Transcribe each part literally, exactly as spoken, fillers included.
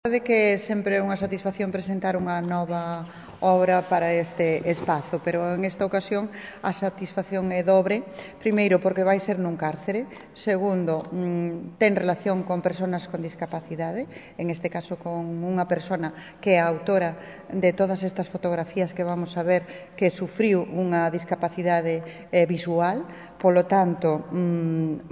De que sempre é unha satisfacción presentar unha nova obra para este espazo, pero en esta ocasión a satisfacción é dobre. Primeiro, porque vai ser nun cárcere. Segundo, ten relación con persoas con discapacidade, en este caso con unha persona que é a autora de todas estas fotografías que vamos a ver, que sufriu unha discapacidade visual. Polo tanto,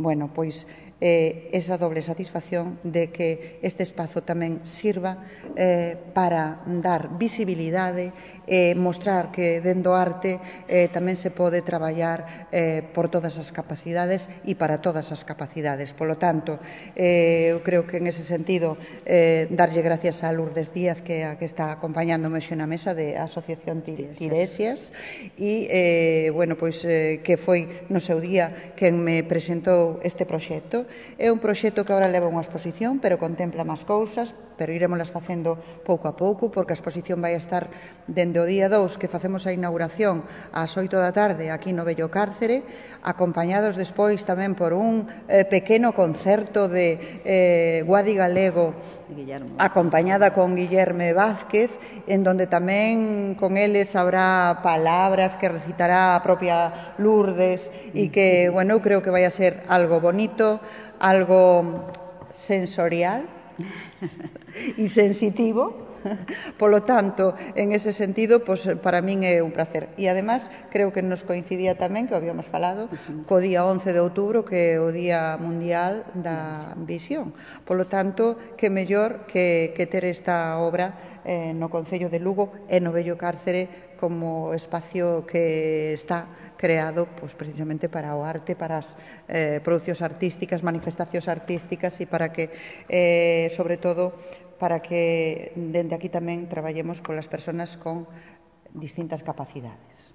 bueno, pois eh, esa doble satisfacción de que este espazo tamén sirva eh, para dar visibilidade e eh, mostrar que dentro do arte eh, tamén se pode traballar eh, por todas as capacidades e para todas as capacidades. Polo tanto, eh, eu creo que en ese sentido eh, darlle gracias a Lourdes Díaz, que é a que está acompañándome xe na mesa de Asociación Tiresias, e, eh, bueno, pois, eh, que foi no seu día quen me presentou este proxecto. É un proxecto que agora leva unha exposición, pero contempla máis cousas, pero irémolas facendo pouco a pouco, porque a exposición vai estar dende o día dous, que facemos a inauguración ás oito da tarde aquí no Vello Cárcere, acompañados despois tamén por un eh, pequeno concerto de eh, Guadi Galego, Guillermo, acompañada con Guillerme Vázquez, en donde tamén con eles habrá palabras que recitará a propia Lourdes e que, bueno, eu creo que vai a ser algo bonito, algo sensorial e sensitivo. Polo tanto, en ese sentido, pues, para min é un placer. E, además, creo que nos coincidía tamén, que habíamos falado, co día once de outubro, que é o Día Mundial da Visión. Polo tanto, que mellor que, que ter esta obra eh, no Concello de Lugo e no Vello Cárcere como espacio que está creado pues, precisamente para o arte, para as eh, producións artísticas, manifestacións artísticas e para que, eh, sobre todo, para que dende aquí tamén traballemos polas persoas con distintas capacidades.